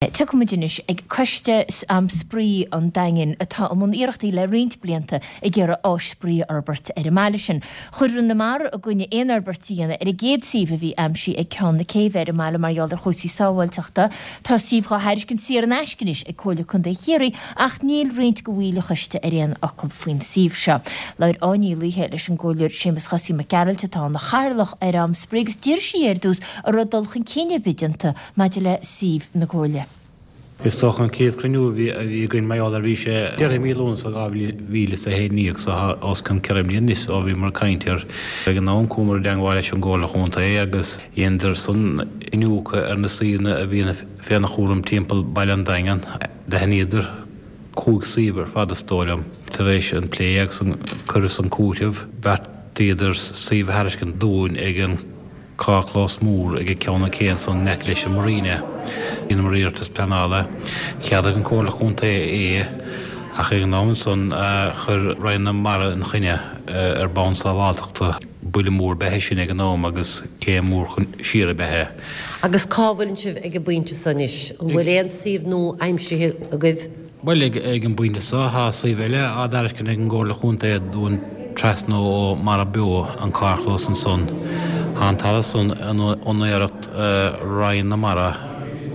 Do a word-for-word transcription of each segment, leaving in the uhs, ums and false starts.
Tiocfaimid anois ag Coiste um Spraoi an Daingin atá i mbun iarrachtaí le roinnt blianta ag iarraidh áis spraoi a fhorbairt ar an mbaile sin. Chuir Roinn na Mara i gcoinne aon fhorbairt a dhéanamh ar an gcéad suíomh a bhí aimsithe ag Ceann na Céibhe ar an mbaile mar gheall ar chúrsaí sábháilteachta. Tá suíomh dhá thairiscint saor in aisce anois ag Comhairle Contae Chiarraí ach níl roinnt de bhaill an choiste ar aon fhocal faoin suíomh seo. Labhair Áine Ní Laoithe leis an gComhairleoir Séamus Chosaí Mac Gearailt atá ina chathaoirleach ar Am Spraoi agus d'iarr sí ar dtús an raibh dul chun cinn ar bith déanta maidir le suíomh na Comhairle. Is dócha an chéad chruinniú a bhí againn mar gheall ar bhí sé deireadh mí Lúnasa dhá mhíle is a haon déag so tá os cionn ceithre bliana anois ó bhíomar ag caint air. Ag an am chuamar i dteangmháil leis an gComhairle Chontae agus dheineadar san iniúchadh ar na suíomhanna a bhí féna chúram timpeall Baile an Daingin. D'aithníodar cúig suíomh ar fad is dóigh liom. Tar éis an plé agus an cur is an cúiteamh, bheartaíodar suíomh a thairiscint dúinn ag an carrchlós mór ag Ceann na Cé ansan in aice leis an Marina. Dheineamar iarratas pleanála. Cheadaigh an Comhairle Chontae é ach ag an am san chuir Roinn na Mara ina choinne ar bonn sábháltachta. Buille mór ab ea é sin ag an am agus céim mhór chun siar ab ea é. Agus cá bhfuileann sibh ag an bpointe so anois? An bhfuil aon suíomh nua aimsithe agaibh? Bhuel, ag an bpointe seo, tá suíomh eile á dtairiscint ag an gComhairle Chontae dúinn trasna ó Mara Beo, an carrchlós ansan. Tá an talamh san in úinéireacht Roinn na Mara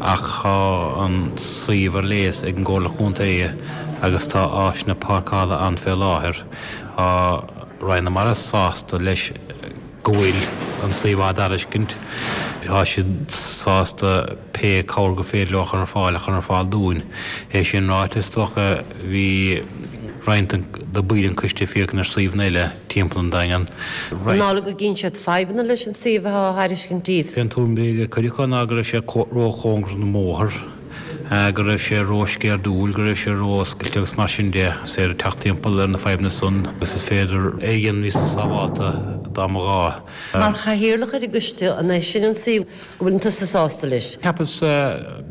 ach tá an suíomh ar léas ag an gComhairle Chontae agus tá áiseanna páirceála ann fé láthair. Tá Roinn na Mara sásta leis go bhfuil an suíomh á dtairiscint. Tá siad sásta pé cabhair gur féidir leo a chur ar fáil a chur ar fáil dúinn. É sin ráite, is dócha, bhí roinnt de bhaill an choiste ag féachaint ar suíomhanna eile timpeall an Daingin. An amhlaidh go gcíonn siad fadhbanna leis an suíomh atá á thairiscint daoibh? B'é an tuairim a bhí ag cuid acu ná go raibh sé róchóngarach don mbóthar, go raibh sé rósceirdiúil, go raibh sé ró-oscailte agus mar sin de. Is féidir teacht timpeall ar na fadhbanna san agus is féidir é a dhéanamh níos sábhálta dá mba ghá. Mar chathaoirleach ar an gcoiste, an é sin an suíomh go bhfuileann tusa sásta leis? Cheapas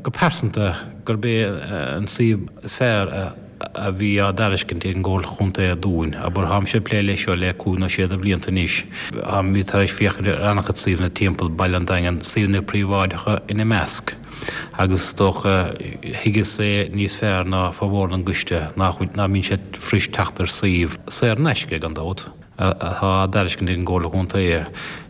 go pearsanta gurb é an suíomh is fearr a bhí á dtairiscint ag an gComhairle Chontae dúinn. Abair, táimse ag plé leis seo le cúig nó sé de bhlianta anois. Táimid tar éis féachaint ar an-chuid suíomhanna timpeall Baile an Daingin, suíomhanna príobháideacha ina measc. Agus is dócha, thuigeas é níos fearr ná formhór den gcoiste nach mbíonn sé fuirist teacht ar suíomh, saor in aisce, gan dabht, atá á dtairiscint ag an gComhairle Chontae.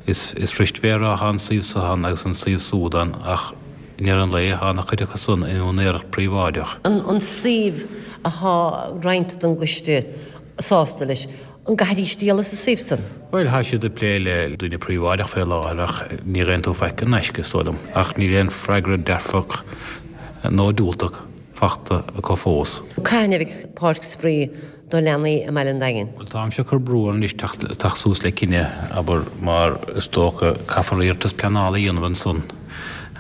Is fuirist bheith ag rá tá an suíomh seo ann agus an suíomh súd ann ach i ndeireadh an lae tá an-chuid acu san in úinéireacht príobháideach. An suíomh atá roinnt den gcoiste sásta leis, An gcaithfidís díol as an suíomh san? Bhuel, tá siad ag plé le duine príobháideach fé láthair ach ní gheibheann tú faic in aisce, is dóigh liom. Ach níl aon freagra dearfach nó diúltach fachta acu fós. Cathain a bheidh páirc spraoi do leanaí i mBaile an Daingin? Bhuel, táimse ag cur brú orthu anois teacht suas le cinneadh, abair, mar is dócha caithfear iarratas pleanála a dhéanamh ansan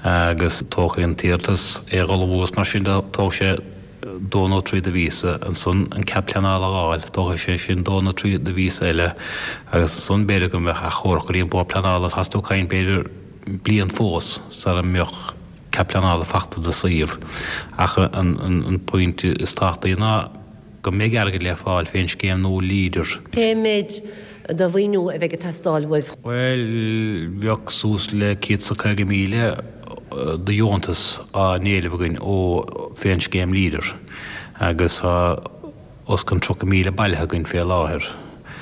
agus tógfaidh an t-iarratas é a dhul abhus mar sin de, tógfaidh sé dó nó trí de mhíosa, ansan an cead pleanála a fháil, tógfaidh sé sin dó nó trí de mhíosa eile agus ansan b'fhéidir go mbeadh achomharc go dtí an Bord Pleanála, tá tú ag caint b'fhéidir bliain fós sara mbeadh cead pleanála fachta do suíomh. Ach an pointe is tábhachtaí ná go mbeidh airgead le fáil fén scéim nua Leader. Cé mhéid de mhaoiniú a bheidh ag teastáil uaibh? Bhuel, bheadh suas le céad 's a caoga míle de dheontas á n-éileamh againn ó fén scéim Leader agus tá os cionn tríocha míle bailithe againn fé láthair.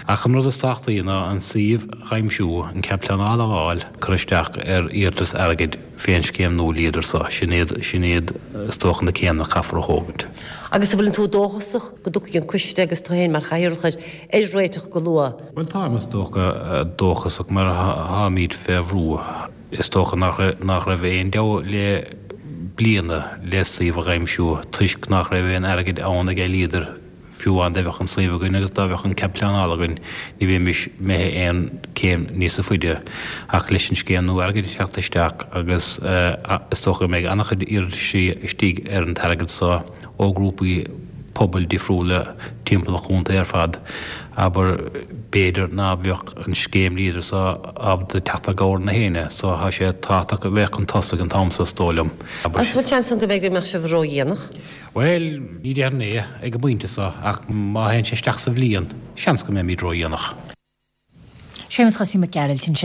Ach an rud is tábhachtaí ná an suíomh a aimsiú, an cead pleanála a fháil, cur isteach ar iarratas airgid fén scéim nua Leader so. Sin iad, sin iad is dócha na céimeanna a chaithfear a thógaint. Agus an bhfuileann tú dóchasach go dtiocfaidh an coiste agus tú féin mar chathaoirleach air ar réiteach go luath? Bhuel táim is dócha dóchasach mar táimid fé bhrú. Is dócha nach nach raibh aon deabhadh le bliana le suíomh a aimsiú toisc nach raibh aon airgead ann ag Leader Fiú amháin dá mbeadh an suíomh againn agus dá mbeadh an cead pleanála againn, ní bheimis imithe aon céim níosa faide. Ach leis an scéim nua airgid ag teacht isteach agus is dócha go mbeidh an-chuid iarrataisí istigh ar an t-airgead so ó ghrúpaí pobail difriúla timpeall an chontae ar fad, abair, b'fhéidir ná beadh an scéim Leader so ábalta teacht i gcabhair na héinne. So tá sé tábhachtach a bheith chun tosaigh an t-am so is dóigh liom. An bhfuil seans ann go mbeidh go mbeadh sibh ródhéanach? Bhuel, ní déarfainn é ag an bpointe seo, ach má théann sé isteach sa bhliain, seans go mbeimid ródhéanach. Séamus Chosaí Mac Gearailt ansin.